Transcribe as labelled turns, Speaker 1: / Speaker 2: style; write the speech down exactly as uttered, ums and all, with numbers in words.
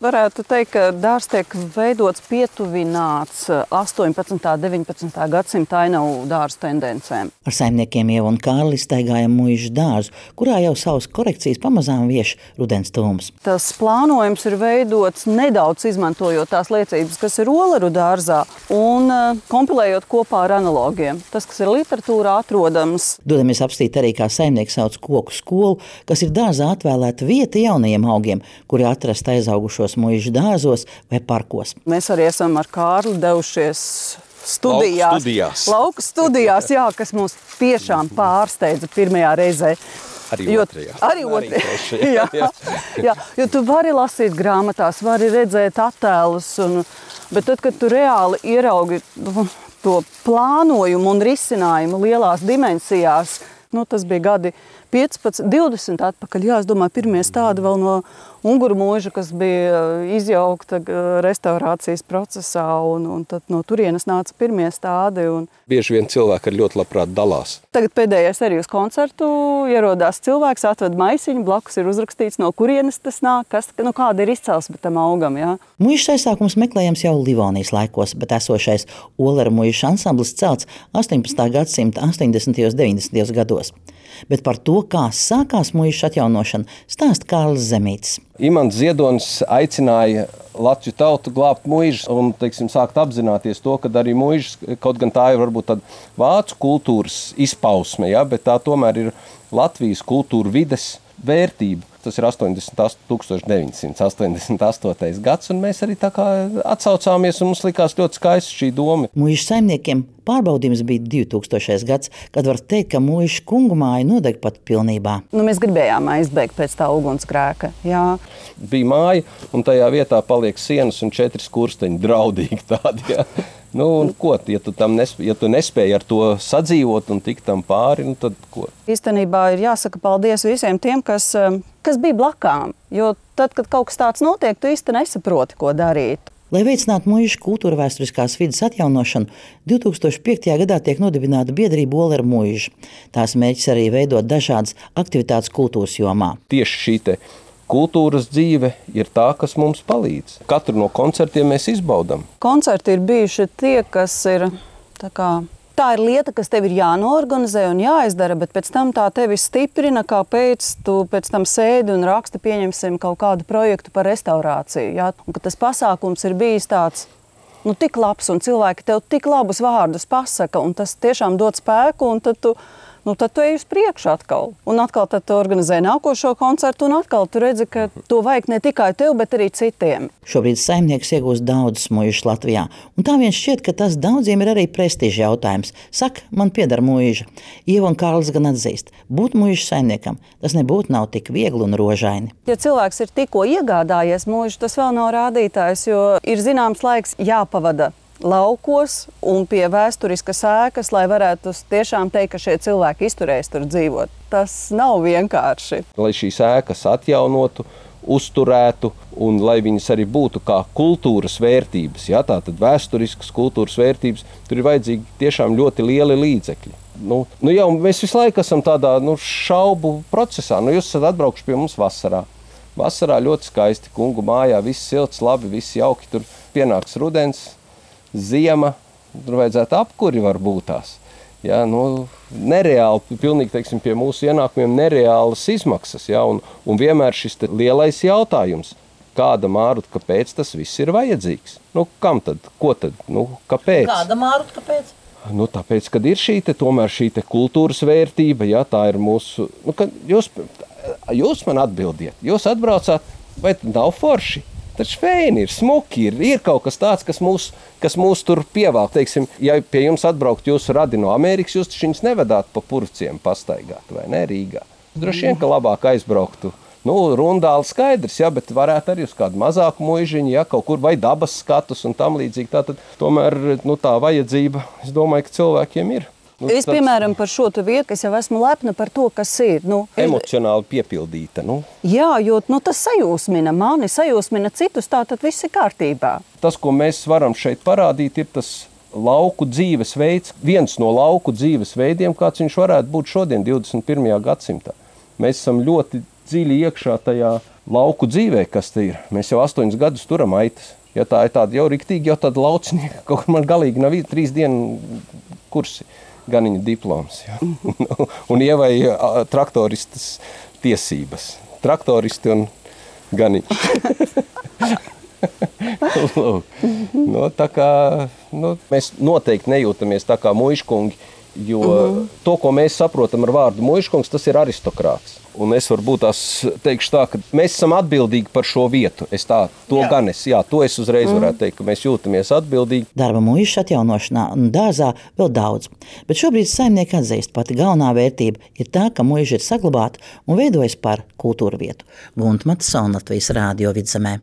Speaker 1: Varētu teikt, ka dārzs tiek veidots pietuvināts astoņpadsmitā un deviņpadsmitā gadsimta ainavu dārzu tendencēm.
Speaker 2: Ar saimniekiem Ievu un Kārli staigājam Muižas dārzu, kurā jau savas korekcijas pamazām vieš rudens tūms.
Speaker 1: Tas plānojums ir veidots nedaudz izmantojot tās liecības, kas ir Oleru dārzā, un kompilējot kopā ar analogiem. Tas, kas ir literatūrā atrodams.
Speaker 2: Dodamies apstīt arī, kā saimnieks sauc koku skolu, kas ir dārzā atvēlēta vieta jaunajiem augiem, kuri atrast aizaugušos Muižas dārzos vai parkos.
Speaker 1: Mēs arī esam ar Kārli devušies studijās.
Speaker 3: Lauku studijās.
Speaker 1: Lauku studijās, jā, kas mūs tiešām pārsteidza pirmajā reizē.
Speaker 3: Arī
Speaker 1: jo,
Speaker 3: otrajā.
Speaker 1: Arī otrajā. jā, jā, jo tu vari lasīt grāmatās, vari redzēt attēlus, un, bet tad, kad tu reāli ieraugi to plānojumu un risinājumu lielās dimensijās, nu, tas bija gadi piecpadsmit, divdesmit atpakaļ. Jā, es domāju, pirmie stādi vēl no Unguru mūža, kas bija izjaukta restaurācijas procesā, un, un tad no turienes nāca pirmie stādi. Un...
Speaker 3: Bieži vien cilvēki ar ļoti labprāt dalās.
Speaker 1: Tagad pēdējais arī uz koncertu ierodās cilvēks, atved maisiņu, blakus ir uzrakstīts, no kurienes tas nāk, kas, nu, kāda ir izcelsme tam augam. Jā.
Speaker 2: Muižas aizsākums meklējams jau Livonijas laikos, bet esošais Oleru Muižas ansamblis celts astoņpadsmitā gadsimta astoņdesmitajos un deviņdesmitajos gados. Bet par to, kā sākās Muižas atjaunošana, stāsta Kārlis Zemītis.
Speaker 3: Imants Ziedonis aicināja Latviju tautu glābt Muižas un, teiksim, sākt apzināties to, ka arī Muižas, kaut gan tā ir varbūt tāda vācu kultūras izpausme, ja, bet tā tomēr ir Latvijas kultūra vides vērtība. Tas ir tūkstoš deviņsimt astoņdesmit astotais gads, un mēs arī tā kā atsaucāmies, un mums likās ļoti skaisti šī doma.
Speaker 2: Muižas saimniekiem pārbaudījums bija divtūkstošais gads, kad var teikt, ka Muižas kungu māja nodeg pat pilnībā.
Speaker 1: Nu, mēs gribējām aizbēgt pēc tā ugunsgrēka, jā.
Speaker 3: Bija māja, un tajā vietā paliek sienas un četri skursteņi, draudīgi tādi, jā. Nu, un ko, ja tu, tam nespēj, ja tu nespēji ar to sadzīvot un tikt tam pāri, nu tad ko?
Speaker 1: Īstenībā ir jāsaka paldies visiem tiem, kas, kas bija blakām, jo tad, kad kaut kas tāds notiek, tu īsti nesaproti, ko darīt.
Speaker 2: Lai veicinātu Muižas kultūra vēsturiskās vides atjaunošanu, divtūkstoš piektajā gadā tiek nodibināta biedrība Oleru Muiža. Tās mērķis arī veidot dažādas aktivitātes kultūras jomā.
Speaker 3: Tieši šī te kultūras dzīve ir tā, kas mums palīdz. Katru no koncertiem mēs izbaudam.
Speaker 1: Koncerti ir bijuši tie, kas ir tā kā... Tā ir lieta, kas tev ir jānoorganizē un jāizdara, bet pēc tam tā tevi stiprina, kāpēc tu pēc tam sēdi un raksti, pieņemsim kaut kādu projektu par restaurāciju. Jā? Un ka tas pasākums ir bijis tāds, nu, tik labs, un cilvēki tev tik labus vārdus pasaka, un tas tiešām dod spēku, un tad tu, nu, tad tu ej uz priekšu atkal. Un atkal tad tu organizē nākošo koncertu, un atkal tu redzi, ka to vajag ne tikai tev, bet arī citiem.
Speaker 2: Šobrīd saimnieks iegūst daudzas muižas Latvijā, un tā vien šķiet, ka tas daudziem ir arī prestiža jautājums. Saka, man pieder muiža. Ieva un Kārlis gan atzīst, būt muižas saimniekam, tas nebūtu nav tik viegli un rožaini.
Speaker 1: Ja cilvēks ir tikko iegādājies muižu, tas vēl nav rādītājs, jo ir zināms laiks jāpavada laukos un pie vēsturiskas ēkas, lai varētu tiešām teikt, ka šie cilvēki izturēs tur dzīvot. Tas nav vienkārši.
Speaker 3: Lai šīs ēkas atjaunotu, uzturētu un lai viņas arī būtu kā kultūras vērtības, ja, tātad vēsturiskas kultūras vērtības, tur ir vajadzīgi tiešām ļoti lieli līdzekļi. Nu, nu jau mēs visu laiku esam tādā nu, šaubu procesā. Nu, jūs esat atbraukuši pie mums vasarā. Vasarā ļoti skaisti, kungu mājā, viss silts, labi, viss jauki, tur pienāks rudens, ziema, tur vajadzētu apkuri var būt tās. Ja, nu, nereāli, pilnīgi, teiksim, pie mūsu ienākumiem nereālas izmaksas. Ja, un, un vienmēr šis lielais jautājums, kāda Māruta, kāpēc tas viss ir vajadzīgs? Nu, kam tad? Ko tad? Nu, kāpēc?
Speaker 2: Kāda Māruta, kāpēc?
Speaker 3: Nu, tāpēc, kad ir šī te, tomēr šī te kultūras vērtība, ja, tā ir mūsu... Nu, kad jūs, jūs man atbildiet, jūs atbraucāt, vai nav forši? Taču fēni ir, smuki ir, ir kaut kas tāds, kas mūs, kas mūs tur pievelk. Teiksim, ja pie jums atbraukt jūsu radi no Amerikas, jūs taču viņus nevedāt pa purciem pastaigāt, vai ne, Rīgā? Droši vien, ka labāk aizbrauktu. Nu, Rundāli skaidrs, ja, bet varētu arī uz kādu mazāku muižiņu, ja, kaut kur vai dabas skatus un tam līdzīgi. Tātad tomēr nu, tā vajadzība, es domāju, ka cilvēkiem ir. Nu,
Speaker 1: es, piemēram, par šo vietu, es jau esmu lepna par to, kas ir. Nu,
Speaker 3: emocionāli piepildīta. Nu.
Speaker 1: Jā, jo nu, tas sajūsmina mani, sajūsmina citus, tā tad viss ir kārtībā.
Speaker 3: Tas, ko mēs varam šeit parādīt, ir tas lauku dzīvesveids, viens no lauku dzīvesveidiem, kāds viņš varētu būt šodien, divdesmit pirmajā gadsimtā. Mēs esam ļoti dziļi iekšā tajā lauku dzīvē, kas te ir. Mēs jau astoņus gadus turam aitas. Ja tā ir tāda jau riktīgi, jau tāda laucinieka, kaut kur man galīgi nav trīs dienu kursi, ganiņa diploms. Ja. Un ievai traktoristas tiesības. Traktoristi un ganiņš. no, tā kā, nu, mēs noteikti nejūtamies tā kā muižkungi, jo uh-huh. to, ko mēs saprotam ar vārdu muižkungs, tas ir aristokrāts. Un es varbūt tās teikšu tā, ka mēs esam atbildīgi par šo vietu. Es tā, to jā. gan es, jā, to es uzreiz mm. varētu teikt, ka mēs jūtamies atbildīgi.
Speaker 2: Darba muižas atjaunošanā un dārzā vēl daudz, bet šobrīd saimnieki atzīst, pati galvenā vērtība ir tā, ka muiža ir saglabāta un veidojas par kultūra vietu. Gunta Matsona, Latvijas Rādio Vidzemē.